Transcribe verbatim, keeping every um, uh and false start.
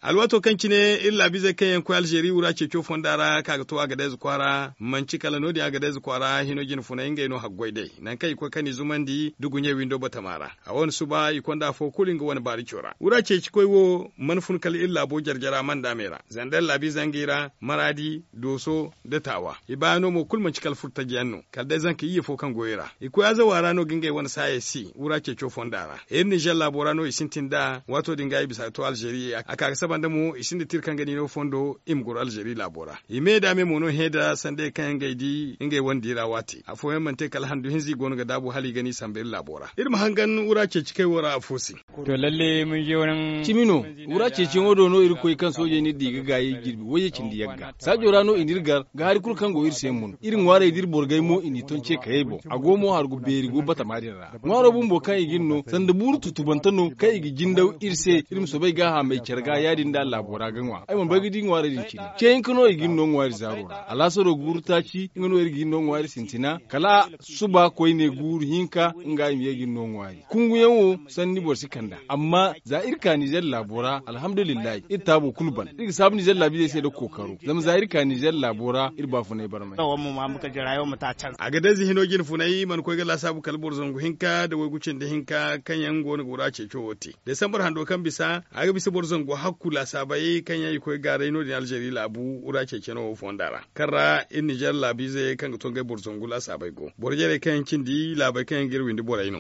Alwaato kaŋ cine iri laabiizey kaŋ yaŋ koy alzeeri wura ceeco fonda ra ka ga to agadez kwaara manti kala no- din agadez kwaara hino jine funay ngey no haggoy day nangu kaŋ i koy kani zumandi da guɲey windo batama ra. A wane suba i konda afo kulu nga wane baarico ra wura ceeci koy wo mana fun kala iri laabo jare-jare a mana daamey ra zandar laabiizey ngey ra maraadi dooso nda taawa i baayaŋo mo kulu manti kala furtaji yaŋ no kala day zanka iyye fo kaŋ goyo ra i koy azawa ra no ga ngey wane saayey si wura ceeco fonda ra iri nizer laabo ra no i sintin nd'a waato din ga i bisa ga to alzeeri a ka ga saba nda mo i sinda tira kaŋ ga ni no fondo i ma goro alzeeri laabo ra i me nda me mo no hẽ nda sandey kaŋ yaŋ ga ay di ngey wane di ra waati afooyaŋ mana te kala handu hinza i go no ga daabu hala i ga ni samba iri laabo ra iri ma hangan wura ceeci kay wo ra afo se. Cimi no, wura ceeciyaŋo do no irkoy kaŋ soojey n'iri di ga gaayey jirbi wayye cindi yagga saajo ra no i n'iri gar ga hari kulu kaŋ go iri se mun iri ŋwaarey d'iri borgay mo i n'i ton ce kayey boŋ a go mo hargu beeri go batama din ra. Ŋwaaro bumbo kaŋ i g'iri no sanda buuru tutubante no kaŋ i ga jindaw iri se iri ma soobay gaahamey care ga ya- din da laabo ra ga ŋwa ay mana bay ga di ŋwaarey din cine ce hinka no i g'iri no ŋwaari zaaro ra alaasaro guuru taaci nga no iri g'iri no ŋwaari sintina kala suba koyne guuru hinka nga i ma ye g'iri no ŋwaari kunguyaŋ wo sanni boro si kand'a amma za iri ka nizer laabo ra alhamdulillahi iri taabo kulu ban iri ga saabu nizer laabiizey se nda kookaro zama za iri ka nizer laabo ra iri baafunay barmay. A ga dayze hino jine funay mana koy ga laasaabu kala boro zangu hinka nda waygu cindi hinka kaŋ yaŋ go no ga wura ceeco wo te desambar hando kaŋ bisa a ga bisa boro zangu hakku laasaabey kaŋ yaŋ i koy gaaray no- din alzeeri laabu wura ceeceno wo fonda ra kaŋ ra iri nizer laabiizey kaŋ ga to ngey boro zangu laasaabey go boro jarey kaŋ yaŋ cindi laabey kaŋ yaŋ ga iri windi borey no.